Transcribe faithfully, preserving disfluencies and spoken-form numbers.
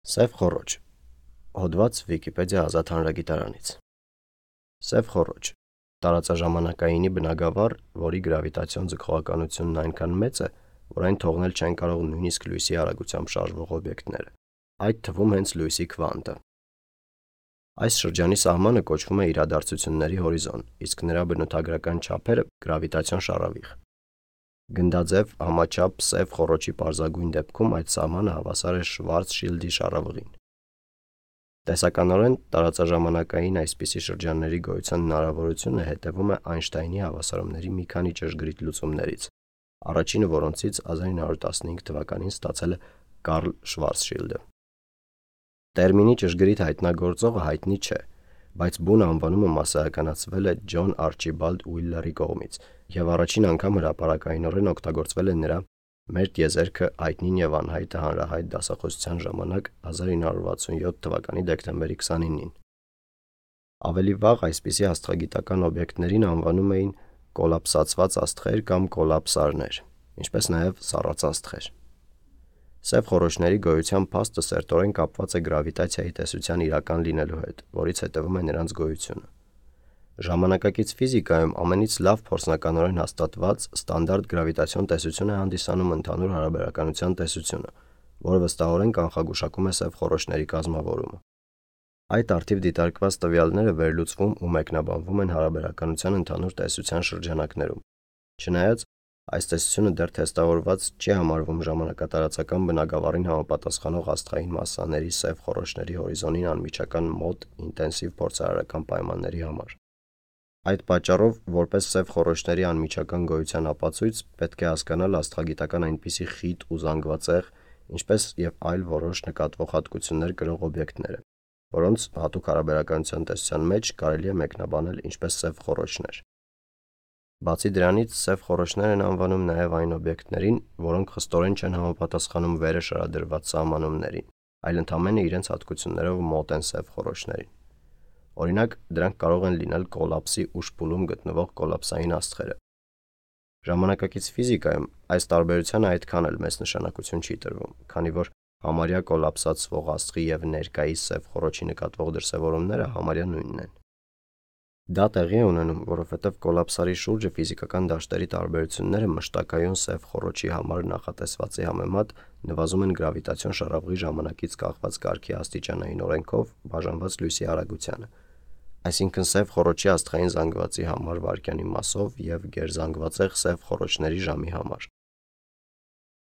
Սև խոռոչ։ Հոդված Վիկիպեդիա ազատ հանրագիտարանից։ Սև խոռոչ տարածաժամանակայինի բնագավառ, որի գրավիտացիոն ձգողականությունն այնքան մեծ է, որ այն թողնել չեն կարող նույնիսկ լույսի արագությամբ շարժվող օբյեկտները, այդ թվում հենց լույսի քվանտը։ Այս շրջանի սահմանը կոչվում է իրադարձությունների հորիզոն, իսկ նրա բնութագրական չափերը գրավիտացիոն շառավիղ։ Գնդաձև համաչափ սև խոռոչի պարզագույն դեպքում այդ սահմանը հավասար է Շվարցշիլդի շառավղին։ Տեսականորեն տարածաժամանակային այսպիսի շրջանների գոյության հնարավորությունը հետևում է Այնշտայնի հավասարումների մի քանի ճշգրիտ լուծումներից, առաջինը որոնցից հազար ինը հարյուր տասնհինգ թվականին ստացել է Կարլ Շվարցշիլդը։ Տերմինի ճշգրիտ հայտնագործողը հայտնի չէ, բայց բուն անվանումը մասսայականացվել է Ջոն Արչիբալդ Ուիլլերի կողմից, և առաջին անգամ հրապարակայնորեն օգտագործվել է նրա «Մեր տիեզերքը հայտնին և անհայտը» հանրահայտ դասախոսության ժամանակ հազար ինը հարյուր վաթսունյոթ թվականի դեկտեմբերի քսանինին։ Ավելի վաղ այսպիսի աստղագիտական օբյեկտներին անվանում էին կոլապսացված աստղեր կամ կոլապսարներ, ինչպես նաև սառածաստղեր։ Սև խոռոչների գոյության փաստը սերտորեն կապված է գրավիտացիայի տեսության իրական լինելու հետ, որից հետևում է նրանց գոյությունը։ Ժամանակակից ֆիզիկայում ամենից լավ փորձնականորեն հաստատված ստանդարտ գրավիտացիոն տեսություն է հանդիսանում ընդհանուր հարաբերականության տեսությունը, որը վստահորեն կանխագուշակում է սև խոռոչների կազմավորումը։ Այդ առթիվ դիտարկված տվյալները վերլուծվում ու մեկնաբանվում են հարաբերականության ընդհանուր տեսության շրջանակներում, չնայած այս տեսությունը դեռ թեստավորված չի համարվում ժամանակատարածական բնագավառին համապատասխանող աստղային մասսաների սև խոռոչների հորիզոնին անմիջական մոտ ինտենսիվ փորձարարական պայմանների համար։ Այդ պատճառով, որպես սև խոռոչների անմիջական գոյության ապացույց, պետք է հասկանալ աստղագիտական այնպիսի խիտ ու զանգվածեղ, ինչպես և այլ որոշ նկատվող հատկություններ կրող օբյեկտները, որոնց հատուկ հարաբերականության տեսության մեջ կարելի է մեկնաբանել ինչպես սև խոռոչներ։ Բացի դրանից, սև խոռոչներ են անվանում նաև այն օբյեկտներին, որոնք խստորեն չեն համապատասխանում վերը շարադրված սահմանումներին, այլ ընդամենը իրենց հատկություններով մոտ են սև խոռոչներին։ Օրինակ, դրանք կարող են լինել կոլապսի ուշ փուլում գտնվող կոլապսային աստղերը։ Ժամանակակից ֆիզիկայում այս տարբերությանը այդքան էլ մեծ նշանակություն չի տրվում, քանի որ համարյա կոլապսացվող աստղի և ներկայիս սև խոռոչի նկատվող դրսևորումները համարյա նույնն են։ Դա տեղի է ունենում, որովհետև կոլապսարի շուրջը ֆիզիկական դաշտերի տարբերությունները մշտակայուն սև խոռոչի համար նախատեսվածի համեմատ նվազում են գրավիտացիոն շառավղի ժամանակից կախված կարգի աստիճանային օրենքով բաժանված լույսի արագությանը, այսինքն սև խոռոչի աստղային զանգվածի համար վայրկյանի մասով և գերզանգվածեղ սև խոռոչների ժամի համար։